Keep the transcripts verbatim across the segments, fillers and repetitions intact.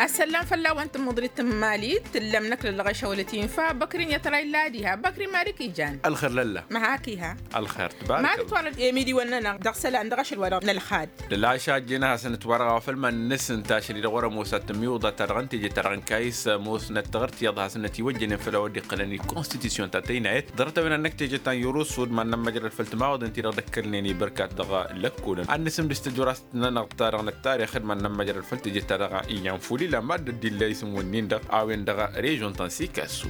Ăssăllam fălla-wăn tǝmmǝḍrit n-imali tǝllăm n-ăkk lăllăɣeš a wălăt infa băkri n-iyyăt ra illa diha băkri mad-ǝkk ijan. Ălxer lălla. Măhak iha. Ălxer tǝbarăkălla. Mad-ǝtwănăt i-ămidǝwăn-nănăɣ dăɣ-isălan dăɣ-ašăl wa-dăɣ n-ălxad. Lălaša ăjjeen ad-hasăn-ǝtwărăɣ a-wa făl iman-năsǝnta ašăl-i-dăɣ wăr-ămoos ad-tǝmmiwǝḍ ad-ta-dăɣ n-teje-ta-dăɣ n-kayǝs ămoosnăt tiɣǝrt iyyăḍ hasăn-nătiwăjjănen făll-a-wa dd-iqqălăn i-konstitisyon ta tăynayăt ḍarăt-a-wen ad-năkk teje ta n-yurǝsud mad-nămmăjrăd făll-timawaḍen-ti-dăɣ dd-ăkkălnen i-bărkat dăɣ-lăkkolăn ad-nǝsǝmdǝs tăjuraẓt-nănăɣ ta-dăɣ n-ăttarix d-mad-nămmăjrăd făll-teje ta dăɣ-i yan-fulila mad-dd-illa isǝm-wǝnnin-dăɣ a-wen dăɣ-režion ta n-sikasu.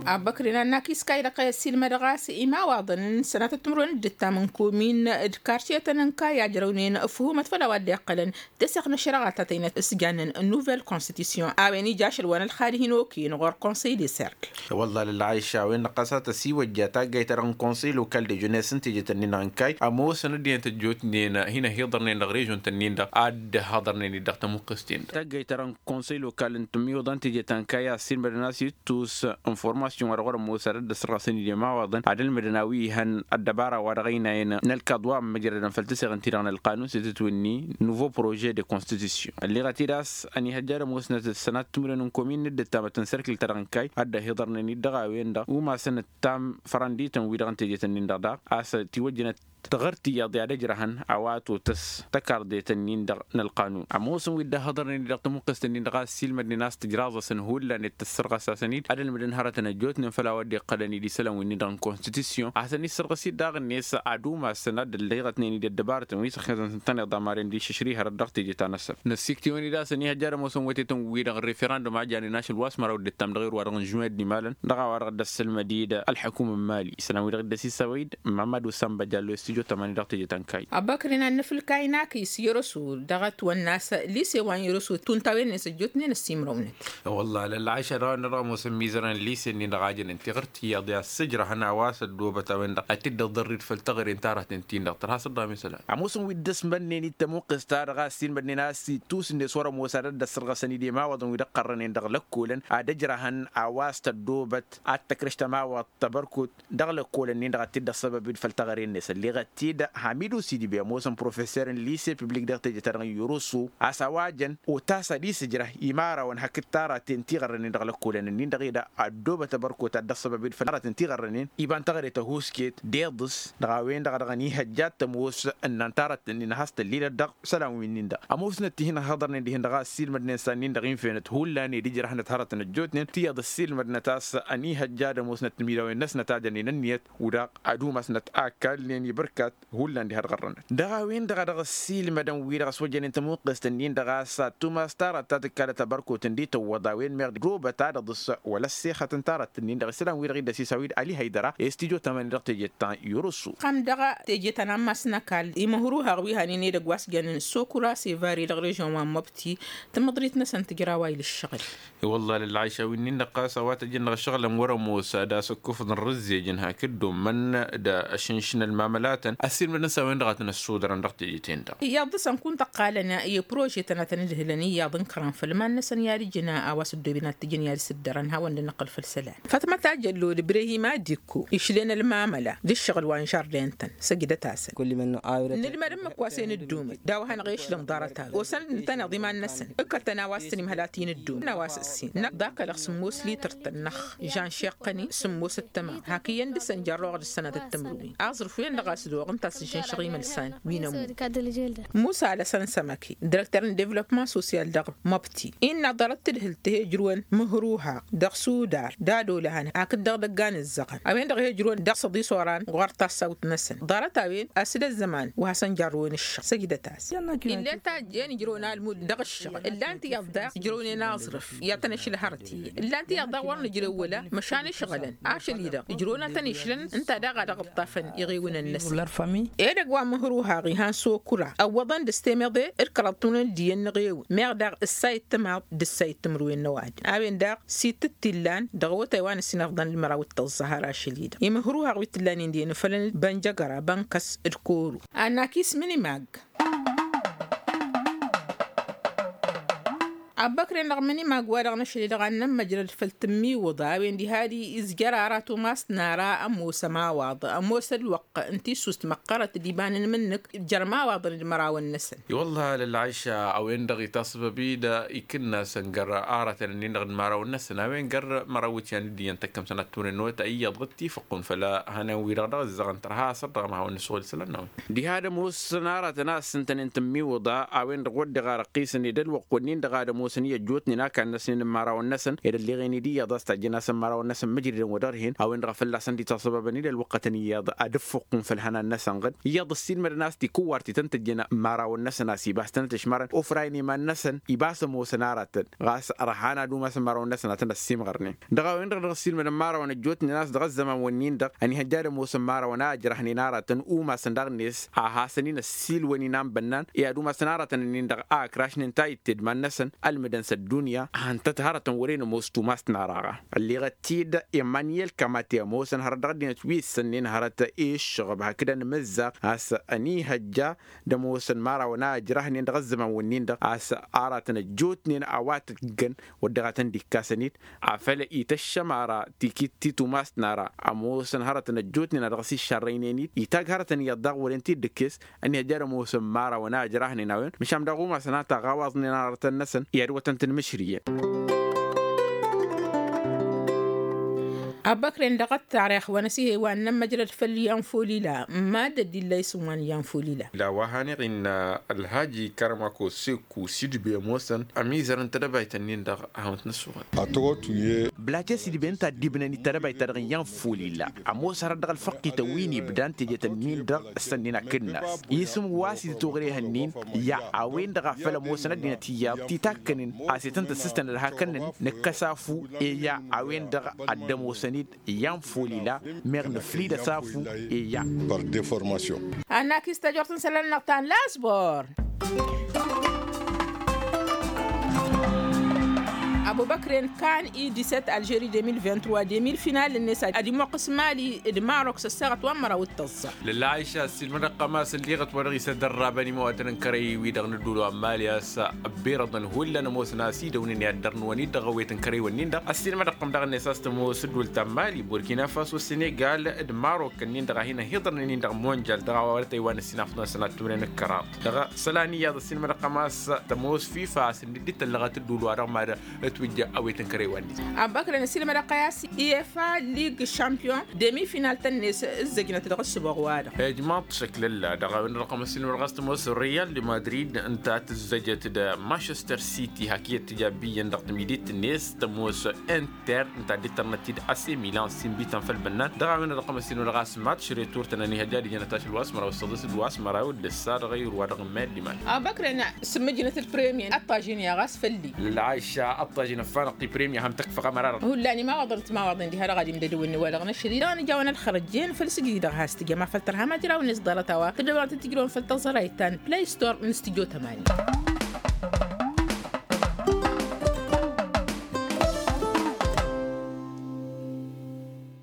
Abăkri n-annakis kayy dăɣ-i ăssiilmădăɣ a-s imawaḍăn n-sănatăt timǝrwen d-ǝttam n-komin d-kartiyătăn n-kayy a ǝjrăwnen ăfhumăt făll-a-wa dd-iqqălăn tăseɣt n-ašăreɣa ta tăynăt s-jannen n-nuvel konstitisyon a-wen ija ašăl wa n-ălxad hin-okăyăn ɣur-konsăy de serk. Wălla lălɣayša a-wen-dăɣ ɣas a tăsiwăjja taggayt-ta-dăɣ n-konsăy lokal de jenes n-teje-tăn-in-dăɣ n-kayy ămoosăn ăddinăt ăjjootnen hin-ăhiḍărnen dăɣ-režion-tăn-in-dăɣ ad-dd-haḍărnen-dd dăɣ-tămuqqǝst-in-dăɣ taggayt-ta-dăɣ n-konsăy lokal n-tǝmmiwǝḍa n-teje ta n-kayy a ăssiilmădăn a-s ittus n-formasyon wa dăɣ-wăr-ămoos ad-dd-ăssărɣăsăn-dd i-imawaḍăn ad-ălmǝdăn a-wi ihăn ăddăbara wa dăɣ-ăynayăn n-ălkaḍ wa ămmăjrădăn făll-tăseɣt-in-ti-dăɣ n-ălqanun s-itǝtwǝnni nouveau projet de constitution ălleɣăt-dd a-s ănihăjja ad-ămoosnăt s-sănat timǝrwen n-komin n-dd-ǝttamăt n-serkǝl-ta-dăɣ n-kayy ad-dd-ăhiḍărnen-dd dăɣ-a-wen-dăɣ umasăn ǝttam fărăndităn-wi-dăɣ n-teje-tăn-in-dăɣ daɣ a-s tiwăjjănăt tiɣărt iyyăḍ i-ad-ăjrăhăn a-wa totăs takardetăn-in-dăɣ n-ălqanun ămoosăn wi dd-ăhhăḍărnen-dd dăɣ-tamǝqqǝst-nin-dăɣ a ăssiilmădnen a-s tǝjraẓ-asăn hullan i-tăssărɣăs-asăn-dd ad-ălmǝdăn hărătăn ăjjootnen făll-a-wa dd-iqqălăn d-isălan winnin-dăɣ n-konstitisyon ad-hasăn-issărɣǝs-dd daɣ-net ad-umasăn ad-ălleɣătnen-dd ăddăbarătăn wi s-ăxnăsăn-tăn-iḍamaren d-išǝšrihărăt dăɣ-teje ta n-ăssăr năssiktǝwăn-dd a-s ănihăjja ad-ămoosăn wătetăn-wi-dăɣ n-referandum a janen ašăl wa s-măraw dd-ǝttam dăɣ-erwa-dăɣ n-žuwen d-imalăn dăɣ-a-wa-dăɣ dd-ăssălmăd-dd ălḥăkum n-imali isălan-wi-dăɣ dd-ăsisăwăy-dd mamădu sănbăjal lo-s tijo tămani dăɣ-teje ta n-kayy. Abăkri n-ad-nǝfǝlkay n-akǝy s-yărăsu dăɣ-ătwănna a-s lise wa n-yărăsu tuntawen-net ăjjootnen ăsimrăwnăt. Wălla lălɣayša dăɣ-a-wen-dăɣ ămoosăn mizărăn lise-nin-dăɣ a jănen tiɣǝrt iyyăḍ i-ad-sǝjrăhăn a-wa s-ăddoobăt a-wen-dăɣ ad-t-dd-ăḍărrid făll-teɣăre n-taratăn-tin-dăɣ tărha s-ăḍḍam isălan. Ămoosăn wi dd-ăsmănnen-dd tamǝqqǝst-ta-dăɣ a ăssiilmădnen a-s ittus-net wăr-ămoos ad-ăssărɣăsăn-dd i-imawaḍăn wi dd-ăqqărrănen dăɣ-lăkkolăn ad-ăjrăhăn a-wa s-tăddoobăt ad-tăkrǝš tămawaḍt tăbărkut dăɣ-lăkkolăn-nin-dăɣ ad-t-dd-ăssăbăb-dd făll-teɣăre-net ălleɣăt-dd hamidu sidibey ămoosăn professor n-lise publik dăɣ-teje-ta-dăɣ n-yurǝsu a-s a-wa jăn otas ad-isǝjrăh imărawăn hakd taraten tiɣărrănen dăɣ-lăkkolăn-nin-dăɣ ed ăddoobăt ăbărkot ad-dd-ăssăbăb-dd făll-taratăn tiɣărrănen iba n-teɣăre ta n-husked d-iḍǝs dăɣ-a-wen-dăɣ a dăɣ-ănihăjja ad-tămoos ǝnnan taratăn-nin a has-tăllilăt dăɣ-isălan wi-nin-dăɣ. Ămoosnăt tihin ăhhăḍărnen dihen-dăɣ a ăssiilmădnen s-a-nin-dăɣ infenăt hullan ed ǝjrăhnăt hărătăn ăjjootnen tiyyăḍ ăssiilmădnăt a-s ănihăjja ad-ămoosnăt timidawen-năsnăt a jănen ǝnniyăt u-daɣ ad-umasnăt a kallnen i-bărkat hullan diha d-ɣărrănăt. Dăɣ-a-wen-dăɣ a dăɣ-ăssiilmădăn wi-dăɣ ăswăjjănen tamǝqqǝst-nin-dăɣ a-s ad-tumas tarat ta tǝkkalăt ăbărkot ǝndi tǝwwăḍ a-wen meɣ dd-obăt ad-ăḍǝs wăla ăssexăt n-tarat-nin-dăɣ isălan-wi-dăɣ i dd-ăsisawid ali hăydăra i-s tijo tamani dăɣ-tejet ta n-yurǝsu. Ɣăm dăɣ-tejet ta n-ammas n-ăkall imǝhruhaɣ wi hanen edăgg wa s-jănen sokura sevari dăɣ-režion wa n-măbti tǝmmǝḍrit-năsăn tǝjraw a ila ǝššăɣǝl. I-wălla lălɣayša wi-nin-dăɣ ɣas a-wa tăjjăn dăɣ-ašăɣǝlăn wăr-ămoos ad-asǝkkufǝḍ n-rǝzzej n-hakd dd-ommăn d-ašǝnšǝn ălmamălatăn ăssiilmădăn s-a-wen-dăɣ a tăn-ăssudărăn dăɣ-teje-ten-dăɣ. Iyyăḍ dăɣ-săn kunta ǝqqalăn i-prožetăn ad-tăn-ǝdhǝlăn iyyăḍ ǝnkărăn făll-iman-năsăn i-ad-ǝjǝn a-wa s-ăddoben ad-t-ǝjǝn i-ad-sǝddărăn hawăn-dd-nǝqqǝl făll-isălan. Fatma tajăllo d-ibrehim adikko išlen ălmamăla d-ǝššăɣǝl wa n-žardin-tăn săjdăt-asăn. Nǝlmăd ǝmmǝk wa s-e-nǝddumǝd d-a-wa hanăɣ-e-išlăm ḍarăt-a-wen osăn ǝntăneḍ iman-năsăn ǝkkăl-tăn a-wa s-tăn-imhăl ad-t-in-ǝddumǝd a-wa s-ǝssin năkk d-akălăɣ sǝmmos lităr-tăn-năɣ žan šeqqăn-i sǝmmos d-tămaḍt hak iyyăn dăr-săn jarroɣ d-ǝssănăt d-tǝmrǝwen aẓrǝf-wen-dăɣ a-s doɣ ǝnta a-s ǝžžǝnšăɣ imălsan wi n-ămudd. Musa alăsăn sămăke dirăktăr n-devlopman sosyal dăɣ-măbti innă ḍarăt tǝdhǝlt tǝhe ǝjrǝwăn mǝhruhaɣ dăɣ-sudar d-ad-olăhăn hakd dăɣ-idăggan ǝzzăɣăn a-wen-dăɣ he-ǝjrǝwăn dăɣ-săḍis oran ɣur-tassawt-năsăn ḍarăt-a-wen a-s d-ăzzăman wa hasăn-jarrǝwăn ǝššăɣ săjdăt-as. Ill'-e tajj'-en ǝjrăwăn almud dăɣ-ǝššăɣ ǝllan-t iyyăḍ daɣ ǝjrăwnen aẓrǝf i-ad-tăn-ašǝlhărăt iyyăn ǝllan-t iyyăḍ daɣ wăr nǝjrew wăla măšan ǝšɣălăn ašăl-i-dăɣ ǝjrăwăn ad-tăn-išlăn ǝnta daɣ a dăɣ-ǝṭṭafăn iɣewǝnăn-năsăn. Edăgg wa n-măhruhaɣ ihan sokura ăwwăḍăn d-astemăḍe d-kăraḍ tunăn d-iyyăn n-eɣewǝn meɣ daɣ ǝssay d-tămaḍ d-ǝssay d-timǝrwen n-ăwadǝm a-wen daɣ s-itǝttillan dăɣ-awătay wa n-ăssinăfḍăn d-măraw d-tăẓẓăhăr ašăl-i-dăɣ imǝhruhaɣ wi t-ǝllanen d-enǝfălăn bănjăgăra bănkăs d-koro. Anakis mǝnimag. Abbăkren-dăɣ mănimag-wa-dăɣ n-ašăl-i-dăɣ ad-nămmăjrăd făll-tǝmmiwǝḍa a-wen diha ad-izjăr aratăn u-ma s-nara ămoos ămawaḍ ămoos ălwăqq n-tissust măqqărăt d-ibanăn mǝnnǝk jer-ămawaḍăn d-mărawăn-năsăn. I-wălla lălɣayša a-wen-dăɣ itasbăb-dd ikǝnnasăn găr aratăn-ǝnnin-dăɣ d-mărawăn-năsăn a-wen găr măraw ityăn d-iyyăn tăkkăm sănat turăn n-wăta iyyăḍ ɣǝt-tifăqqun făll-hănen-wi-dăɣ dăɣ-ǝzzăɣăn tărha a-s ărdăɣăm ad-hawăn-nǝsɣul isălan-năwăn. Diha ad-ămoosăn aratăn a-s ǝntănen tǝmmiwǝḍa a-wen-dăɣ wăr dăɣ-arăqqisăn ed ălwăqq wǝnnin-dăɣ ad-ămoosăn i-ăjjootnen akall-năsnen n-imărawăn-năsăn ed ălleɣen-dd iyyăḍ a-s tajjăn-asăn imărawăn-năsăn măjrǝdăn wa dăɣ-dd-hin a-wen-dăɣ a fălla-săn dd-itasăbăbăn-dd ălwăqqătăn iyyăḍ ad-ǝffuqqǝn făll-hănan-năsăn ɣǝd iyyăḍ ăssiilmădăn a-s tikǝwwar ti tăn-tăjjăn imărawăn-năsăn a-s ibas tăn-ătǝšmărăn ofrayăn iman-năsăn ibas ămoosăn aratăn ɣas ărhan ad-umasăn imărawăn-năsăn ad-tăn-ăssimɣărnen. Dăɣ-a-wen-dăɣ dăɣ-ăssiilmădăn imărawăn ăjjootnen a-s dăɣ-ăzzăman wǝnnin-dăɣ ănihăjja ad-ămoosăn imărawăn a ǝjrăhnen aratăn umasăn daɣ-net a hasăn-in ăssiilwăn inan bănnan i-ad-umasăn aratăn-ǝnnin-dăɣ a ǝkrašnen tayǝtte d-iman-năsăn ălmǝdăn s-ăddunya. Hăntăt hărătăn wăren ămoos tumas t-naraɣa ălleɣăt-dd emmaniyel kamate ămoosăn hărăt dăɣ-ăddinăt wi ǝssănnen hărăt i-ǝššăɣăb hakd ănmǝzzaɣ a-s ănihăjja d-ămoosăn imărawăn a ǝjrăhnen dăɣ-ăzzăman wǝnnin-dăɣ a-s aratăn ăjjootnen a-wa tǝggăn wăr dăɣ-a tăn-dd-ikkasăn-dd afăl ităššăm ara tikit ti tumast n-ara ămoosăn hărătăn ăjjootnen a dăɣ-s iššarrăynen-dd itagg hărătăn iyyăḍ daɣ wăren-t-dd ǝkkes ănihăjja ad-ămoosăn imărawăn a ǝjrăhnen a-wen măšan daɣ umasăn a taɣawaẓnen arătăn-năsăn i-ad-wătăn-tăn mǝšrǝyăn. Abbăkren dăɣ-ăttarix wa n-ăsihewa n-inămmăjrăd făll-iyan folila mad-ăddin la isǝm wa n-iyan folila. La wa haneɣ-innă ălhaji kărămako seku sidbe ămoosăn ămizăr n-tedăbayt-ǝnnin-dăɣ a hawăn-t-năssuɣăl. Blace sidbe ǝnta a dd-ibnăn i-tedăbayt-ta-dăɣ n-iyan folila ămoos hărăt dăɣ-ălfăqqităn wi n-ibdan tejet-ǝnnin-dăɣ s-ănnin akǝnnas isǝm wa s-itătoɣreh-ǝnnin. I-a a-wen-dăɣ a făl ămoosăn ăddinăt iyyăḍ titakkănen a-s ităn-tăssǝstăn ălhakăn-năn nǝkkăs afu. I-a a-wen-dăɣ a dd-ămoosăn-dd iyan folila meɣ nǝflid ăsafu. I-a. Ad-nakis tajort n-isălan-năɣ ta n-lasbor. Abubăkren kan i disset alžeri deux mille vingt-trois deux mille final-net ad-imoqqǝs mali d-marok s-ăssaɣăt wa n-măraw d-tăẓẓa. Lălla aisha ăssiilmădăɣ-t a-s ălleɣăt wa dăɣ-isăddărrabăn imawatăn n-kărăy-wi-dăɣ n-ădduul wa n-mali a-s ăbbirăḍăn hullan ămoosăn a-s idăwnen i-ad-dăr-năwăn-dd dăɣ-awet n-kărăy-wǝnnin-dăɣ ăssiilmădăɣ-tăm daɣ-net a-s tămoos ădduul ta n-mali burkina faso senegal d-marok-ǝnnin-dăɣ a hin-ăhiḍărnen-in dăɣ-monjal dăɣ-a-wa wăr tăywan ăssinafăḍăn sănat tunen ǝkkăraḍ dăɣ-isălan iyyăḍ ăssiilmădăɣ-tăm a-s tămoos fifa a-s dd-tăllăɣăt ădduul wa dăɣ-mad-ătwǝjja awet n-kărăy-wa-net. Abăkrăn ăssiilmădăɣ-tăy a-s ifa lig champion demi-final-tăn-net ǝzzăjnăt dăɣ-ǝssǝboɣ-wa-dăɣ. Ijmaḍ-t šăklălla dăɣ-a-wen-dăɣ ăqqăm ăssiilmădăɣ a-s tămoos real de madrid ǝnta a tǝzzăjăt d-manchester city hak iyyăt tǝja ăbbi iyyăn dăɣ-tǝmidit-net tămoos inter ǝnta a dd-tărnăt-dd a-s i-milan s-inbităn făll-bănnan dăɣ-a-wen-dăɣ ăqqăm ăssiilmădăɣ a-s matš retur-tăn ănihăjja ad-ijăn ătašăl wa s-măraw s-săḍis d-wa s-măraw d-ǝssa dăɣ-ayǝr wa dăɣ-n mad-iman. Abăkrăn s-mǝjnăt d-premier ăṭṭažin i-aɣas făll-i. Lălɣayša ăṭṭažin ăffanăɣ-t i-premier a ham-tăkfăɣ ămăra-dăɣ hullan imawaḍăn d-timawaḍen diha-dăɣ ad-imdădăwăn wa-dăɣ n-ašăl-i dăɣ-nǝjawăn ălxărăjjen făll-sǝjǝj-i-dăɣ has-tǝjăm afăl tărham ajraw-net ḍarăt a-wa tǝddăwăn ad-tǝjrăwăn făll-tăẓrayt ta n-play store n-studio tămani.